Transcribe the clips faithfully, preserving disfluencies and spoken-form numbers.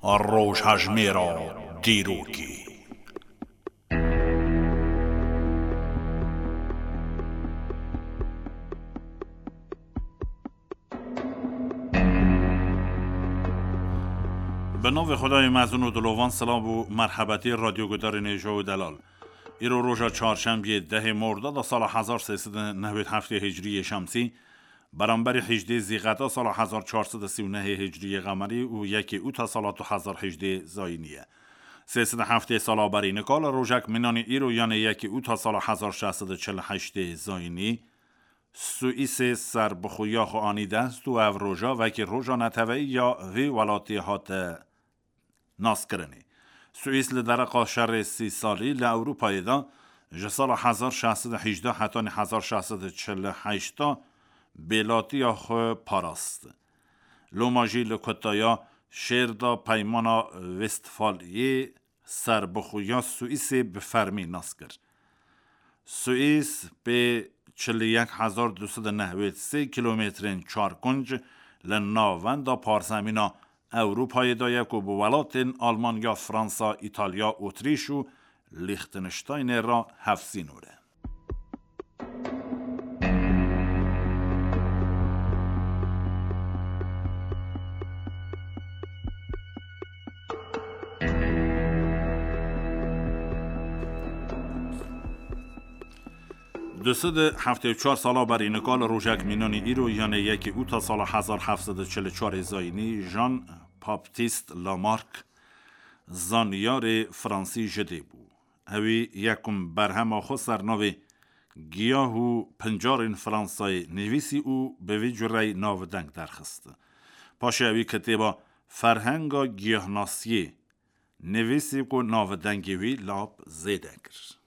Rojhejmêra dîrokê. Bi navê Xwedayê mezin û dilovan, silav û merhebetî radyogudarên hêja û delal. Îro roja çarşembiyê dehê Mordada sala hezar sê sed û newêd heftê Hicriyê Şemsî, beramberî hejdê Zîqeta sala hezar çar sed û sî û nehê Hicriyê Qemerî û yekê Ûta sala du hezar hejdê Zayînî ye. Sê sed û heftê sala berî nika li rojek mînanî îro, yanê yekê Ûta sala hezar şeş sed û çil û heştê Zayînî, Swîsê serbixweya xwe anî dest û ev roja wekî roja neteweyî ya vê welatê hate naskirinê. Swîs li dereqa şerê sî salî li Ewropayê de ji sala hezar şeş sed û hejdeh hetanî hezar şeş sed û çil û heşt de bêlatiya xwe parast. Loma jî li kutaya şêr de peymana Westfaliyê serbixweya Swîsê bi fermî nas kir. Swîs pê çil û yek hezar du sed û newêd sê kîlometrên çarkunc li navenda parzemîna Ewropayê de ye ku bi welatên Almanya, Fransa, Îtalya, Otrîş û Lîxteniştaynê re hevsînor e. Du sed û heftê û çar sala berî nika li rojek mînanî îro, yanê yekê Ûta sala hezar heft sed û çil û çarê Zayînî, Jean Baptiste Lamarck, zanyarê fransî ji dê bû. Ewî yekum berhema xwe ser navê Giyah û Pincarên Fransayê nivîsî û bi vî cureyî navdeng derxist. Paşê ewî kitêba Ferhenga Giyahnasiyê nivîsî ku navdengê wî lap zêde kir.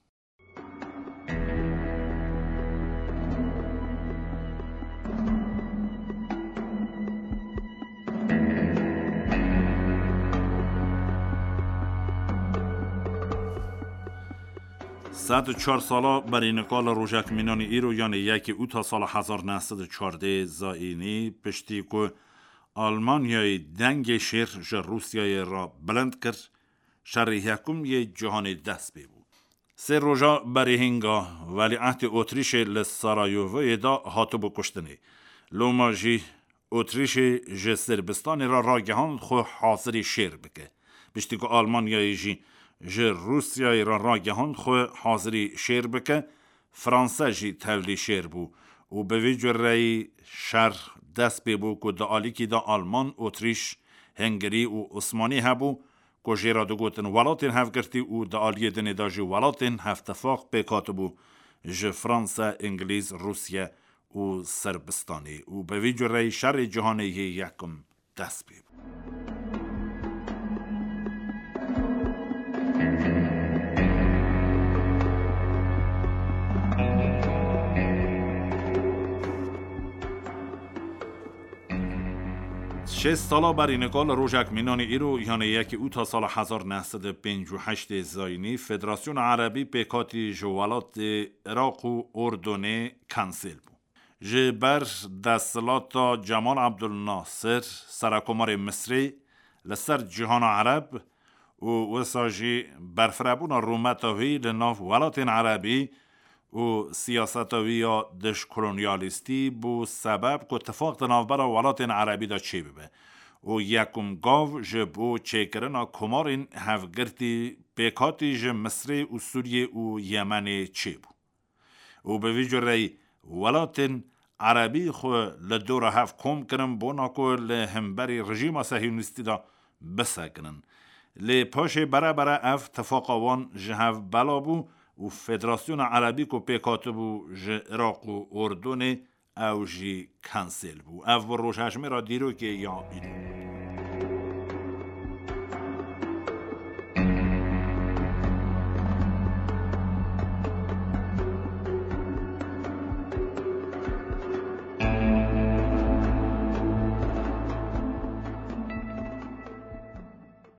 Sed û çar sala berî nika li rojek mînanî îro, yanê yekê Ûta sala hezar neh sed û çardê Zayînî, piştî ku Almanyayê dengê şêr ji Rûsyayê re bilind kir, şerê yekum yê cîhanê dest pê bû. Sê roja berî hînga welîehdê Otrîşê li Sarayovoyê de hatibû kuştinê. Loma jî Otrîşê ji Sirbistanê re ragihand xwe hazirî şêr bike. Piştî ku Almanyayê jî ji Rûsyayê re ragihand xwe hazirî şêr bike, Fransa jî tevlî şêr bû û bi vî cureyî şer dest pê bû ku di alîkî de Alman, Otrîş, Hengirî û Osmanî hebû, ku jê re digotin welatên hevgirtî û di aliyê dinê de jî welatên hevtifaq pêk hatibû ji Fransa, Îngilîz, Rûsye û Sirbistanê û bi vî cureyî şerê cîhanê yê yekim dest pê bû. Şêst sala berî nika li rojek mînanî îro, yanê yekê Ûta sala hezar neh sed û pêncî û heştê Zayînî, Federasyona Erebî pêkhatî ji welatê Iraq û Urdunê kansêl bû. Ji ber desthilata Cemal Abdul Nasir, serekomarê Misrê, li ser cîhana Ereb û wisa jî berfirebûna rûmeta wî li nav welatên Erebî û siyaseta wî ya dijkolonyalîstî bû sebeb ku tifaq di navbera welatên Erebî de çêbibe û yekum gav ji bo çêkirina komarên hevgirtî pêkhatî ji Misrê û Sûriyê û Yemenê çêbû. Û bi vî cureyî welatên Erebî xwe li dora hev kom kirin bona ku li hemberî rejîma sehiyonîstî de bisekinin. Lê paşê bere bere ev tifaqa wan ji hev bela bû û Federasyona Erebî ku pêk hatibû ji Iraq û Urdunê, ew jî kansêl bû. Ev bû rojhejmêra dîrokê ya îro.